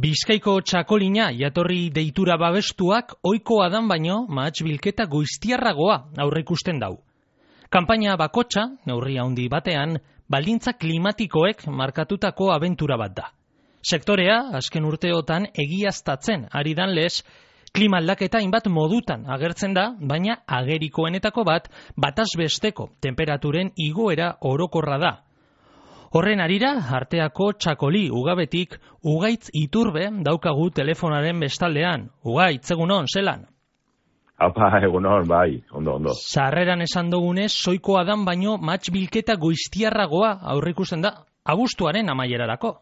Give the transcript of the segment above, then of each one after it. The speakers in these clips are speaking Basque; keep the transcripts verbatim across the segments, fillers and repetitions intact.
Bizkaiko txakolina jatorri deitura babestuak ohikoa dan baino mahats bilketa goiztiarragoa aurreikusten dau. Kanpaina bakotxa, neurri handi batean, baldintza klimatikoek markatutako abentura bat da. Sektorea, azken urteotan egiaztatzen ari dan lez, klima aldaketa hainbat modutan agertzen da, baina agerikoenetako bat bataz besteko temperaturen igoera orokorra da. Horren arira, arteako txakoli ugabetik Ugaitz Iturbe daukagu telefonaren bestaldean. Ugaitz, egunon, zelan? Apa, egunon, bai, ondo, ondo. Sarreran esan dugunez, soikoa dan baino mahats bilketa goiztiarragoa aurrikusten da, abuztuaren amaierarako.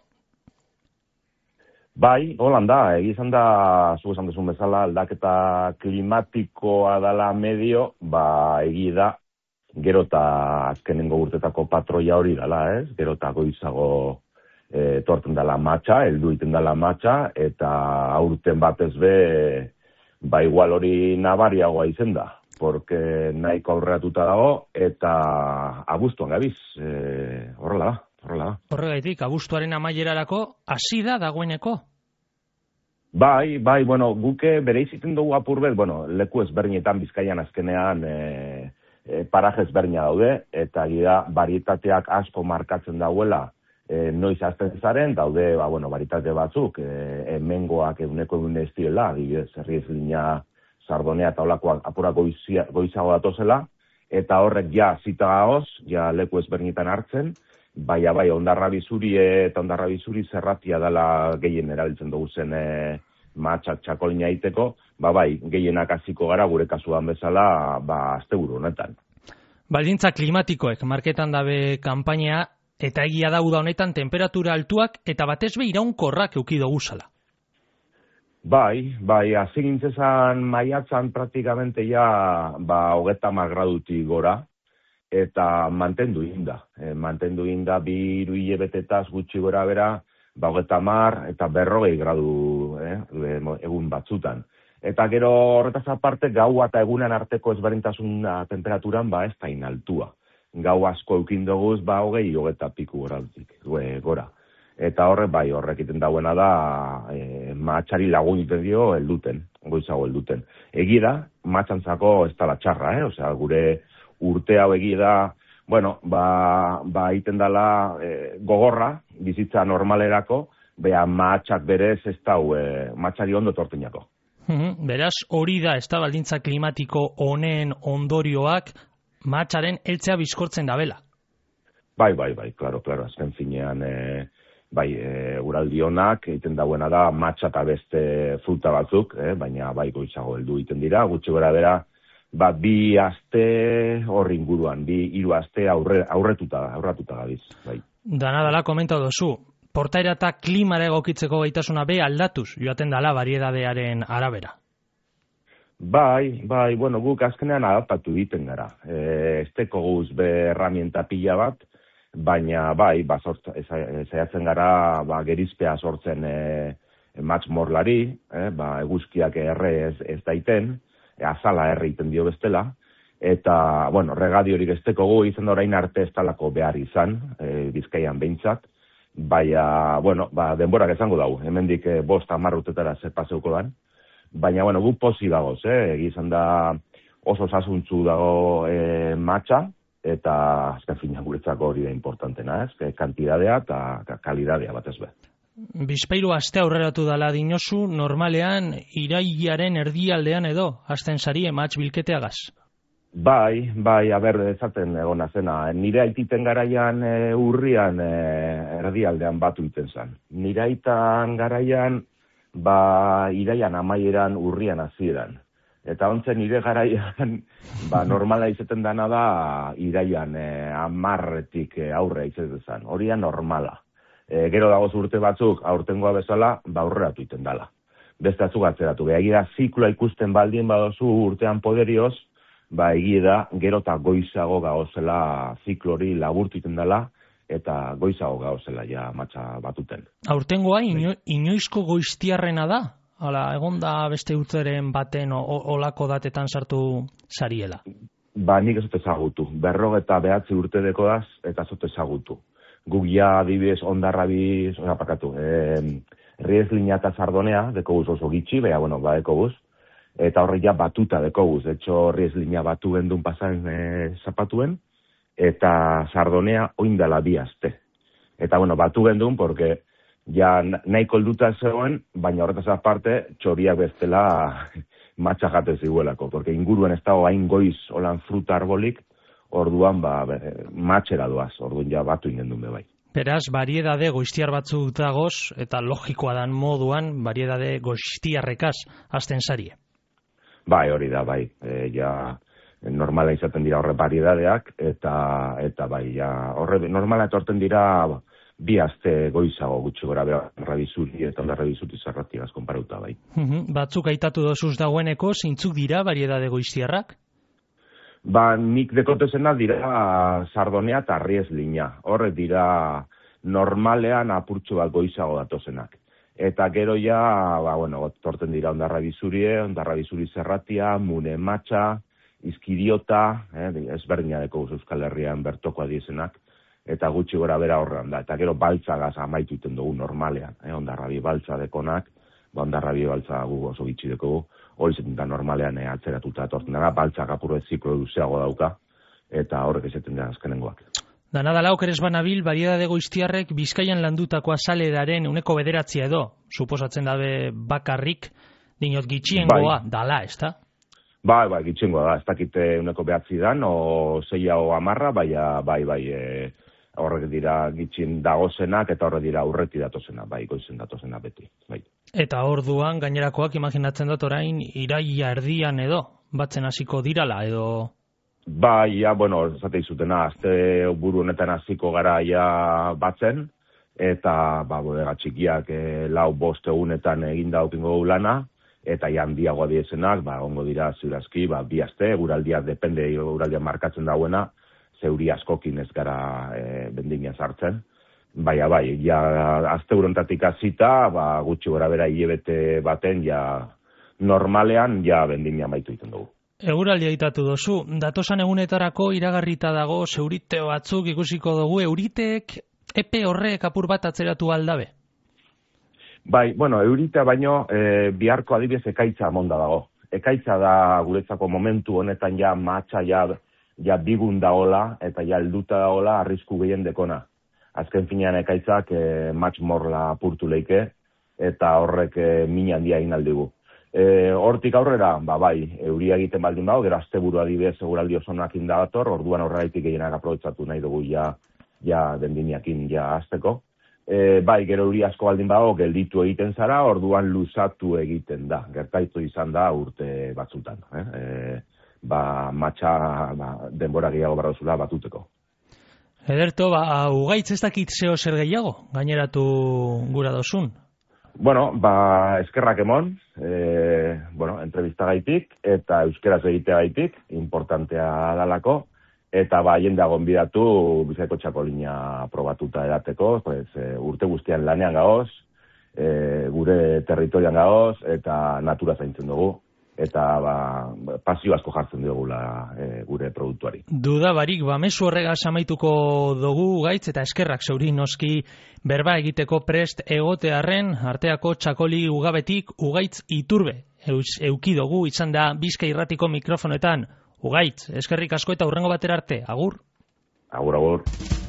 Bai, holan da, egizan da, zu esan duzun bezala, aldaketa klimatikoa dala medio, ba, egi da, gero eta azkenengo urtetako patroia hori dala, ez? Gero eta goizago e, torten dala matxa, heldu iten dala matxa, eta aurten batez be, ba igual hori nabariagoa izen da, porque nahiko aurreratuta dago, eta abuztuan gabiz, e, horrela da, horrela da. Horregaitik, abuztuaren amaierarako hasi da dagoeneko? Bai, bai, bueno, guke bere iziten dugu apurbet, bueno, leku ezberdinetan Bizkaian azkenean e, e, paraje ezberdina daude, eta gira varietateak asko markatzen dauela, e, noiz azten zaren, daude, ba, bueno, varietate batzuk, e, emengoak eguneko egun ez direla, adibidez, herri ez lina, sardonea eta olakoak apura goizia, goizago datozela, eta horrek ja zita gaoz, ja leku ezberdinetan hartzen, baina bai, ondarra bizuri eta ondarra bizuri zerratia dela gehien erabiltzen dugu zen e, matxak txakolina egiteko, ba bai, gehienak hasiko gara gure kasuan bezala, ba, asteburu honetan. Baldintza klimatikoek marketan dabe kanpaina, eta egia da uda honetan temperatura altuak eta batez be iraunkorrak euki dugu zala. Bai, bai, hasi gintzezan maiatzan praktikamente ja, ba, hogeta hamar gradutik gora, eta mantendu inda. E, mantendu inda bi hiru hilabetetaz gutxi gora bera, ba, hogeta hamar eta berrogei gradu eh, egun batzutan. Eta gero horretaz aparte, gaua eta egunan arteko ezberdintasuna temperaturan, ba, ez da inaltua. Gau asko eukin doguz, ba, hogei hogeta piku goratik, gora. Eta horrek, bai, horrek iten dauena da, e, matxari lagun iten dio helduten, goizago helduten. Egi da, matxantzako ez da la txarra, eh? Osea, gure urte hau egi da, bueno, ba, ba iten dala e, gogorra, bizitza normalerako, beha matxak berez ez dau, e, matxari ondo tortinako. Mm-hmm. Beraz, hori da, ez da baldintza klimatiko honen ondorioak matxaren heltzea bizkortzen dabela. Bai, bai, bai, klaro, klaro, azken finean, e, bai, e, uraldi honak egiten dauena da matxa eta beste fruta batzuk, eh, baina bai goizago heldu egiten dira, gutxi gora bera, ba, bi aste hor inguruan, bi hiru aste aurre, aurretuta, aurratuta gabiz, bai. Dana dala komenta dozu, portaera eta klimara egokitzeko gaitasuna be aldatuz joaten dala bariedadearen arabera. Bai, bai, bueno, guk azkenean adaptatu egiten gara. E, esteko guz be herramienta pila bat, baina bai, ba, zaiatzen gara ba, gerizpea sortzen e, matx morlari, eh, ba, eguzkiak erre ez, ez daiten, e, azala erre iten dio bestela, eta, bueno, regadiorik esteko gu izan da orain arte ez talako behar izan, e, Bizkaian behintzat, baina, bueno, ba, denborak esango dau, hemendik e, bost hamar urtetara zer paseuko dan, baina, bueno, gu posi dagoz, eh? Egizan da oso sasuntzu dago e, matxa, eta azken fina guretzako hori da importantena, ez? Kantidadea eta kalidadea batez be. Bizpahiru aste aurreratu dala dinosu, normalean irailaren erdialdean edo, hasten sari matx bilketeagaz? Bai, bai, aber, ezaten egona zena. Nire aititen garaian e, urrian e, erdialdean batu iten zen. Nire aitan garaian, ba, iraian amaieran urrian hasieran. Eta ontzen nire garaian, ba, normala izaten dana da, iraian e, amarretik e, aurre izaten zen. Horia normala. E, gero dagoz urte batzuk, aurtengoa bezala, ba, aurreratu iten dala. Beste atzuk atzeratu. Egia zikloa ikusten baldien badozu urtean poderioz, ba, egia da, gero eta goizago gauzela ziklori laburtu iten dala, eta goizago gauzela ja matxa batuten. Aurtengoa ino, inoizko goiztiarrena da? Hala, egon da beste urteren baten o, olako datetan sartu sariela? Ba, nik ez dut ezagutu. Berrogeta behatzi urte dekodaz, eta ez dut ezagutu. Guk ja adibidez ondarrabiz, oza, pakatu, eh, Rieslina eta Sardonea, dekoguz oso gitxi, beha, bueno, ba, dekoguz, eta horre ja batuta dekoguz, de hecho, Rieslina batu gendun pasan e, zapatuen, eta Sardonea oindala bi aste. Eta, bueno, batu gendun, porque ja nahiko helduta zegoen, baina horretaz aparte, txoriak bestela matxa jate ziguelako, porque inguruen ez dago hain goiz holan fruta arbolik, orduan ba, matxera doaz, orduan ja batu ingendun be bai. Beraz, variedade goiztiar batzuk dagoz, eta logikoa dan moduan, variedade goiztiarrekaz hasten zarie. Bai, hori da, bai. E, ja, normala izaten dira horre variedadeak, eta eta bai, ja, horre normala etorten dira bi aste goizago gutxi gora bera rabizuri eta onda rabizuri zarratiagaz konparauta, bai. Batzuk aitatu dozuz dagoeneko, zeintzuk dira variedade goiztiarrak? Ba, nik dekotezena dira Sardonea eta Rieslina. Horre dira normalean apurtxo bat goizago datozenak. Eta gero ja, ba, bueno, torten dira ondarra bizurie, ondarra bizuri zerratia, mune matxa, izkidiota, eh, ezberdina deko Euskal Herrian bertoko adiezenak, eta gutxi gora bera horrean da. Eta gero baltzagaz amaitu iten dugu normalean, eh, ondarra bi baltza dekonak, ba, ondarra bi baltza gu oso gitxi dekogu, hori zeten da normalean eh, atzeratuta etorten dara, baltzak apurre ziklo luzeago dauka, eta horrek ezaten da azkenengoak. Dana dala okeres banabil, variedade goiztiarrek Bizkaian landutako azaleraren uneko bederatzia edo, suposatzen dabe bakarrik, dinot gitxiengoa bai. Dala, ez da? Bai, bai, gitxiengoa da, ez dakite uneko behatzi dan, o zeia o amarra, bai, bai, bai, e, horrek dira gitxien dagozenak, eta horrek dira urreti datozena, bai, goizen datozena beti, bai. Eta orduan, gainerakoak imaginatzen dut orain, iraia erdian edo, batzen hasiko dirala edo... Bai, ja, bueno, zate izutena, azte buru honetan hasiko gara ja batzen, eta, ba, bodega txikiak e, lau bost egunetan egin daukingo lana, eta ja handiagoa diezenak, ba, ongo dira ziurazki, ba, bi aste, guraldia, depende, guraldia markatzen dauena, zeuri askokin ez gara e, bendina sartzen. Baina, bai, ja, azte burontatik azita, ba, gutxi gora bera hilebete baten, ja, normalean, ja, bendina maitu iten dugu. Eguraldia aitatu dozu, datosan egunetarako iragarrita dago zeurite batzuk ikusiko dugu, euriteek epe horrek apur bat atzeratu aldabe? Bai, bueno, euritea baino e, biharko adibidez ekaitza monda dago. Ekaitza da guretzako momentu honetan ja matxa ja, ja bigun daola eta ja helduta daola arrisku gehien dekona. Azken finean ekaitzak e, matx morla apurtu leike eta horrek e, min handia egin aldigu. E, hortik aurrera, ba bai, euria egiten baldin dago, gero asteburu adibidez seguraldi osonak indagator, orduan aurreraitik gehienak aprobetxatu nahi dugu ja, ja dendiniakin ja azteko. E, bai, gero euri asko baldin dago, gelditu egiten zara, orduan luzatu egiten da. Gertaitu izan da urte batzutan. Eh? E, ba, matxa ba, denbora gehiago barrozula batuteko. Ederto, ba, ugaitz ez dakit zeo zer gehiago, gaineratu gura dozun? Bueno, ba, eskerrak emon, e, bueno, entrevista gaitik, eta euskeraz egitea gaitik, importantea dalako, eta ba, jendea gonbidatu Bizkaiko txakolina probatuta edateko, pues, e, urte guztian lanean gaoz, e, gure territorian gaoz, eta natura zaintzen dugu, eta ba, pasio asko jartzen dugula e, gure produktuari. Duda barik, ba, mezu horregaz amaituko dugu gaitz, eta eskerrak zeuri noski berba egiteko prest egotearren, arteako txakoli ugabetik ugaitz iturbe. Eus, euki dugu izan da Bizkai Irratiko mikrofonetan. Ugaitz, eskerrik asko eta hurrengo batera arte. Agur? Agur, agur.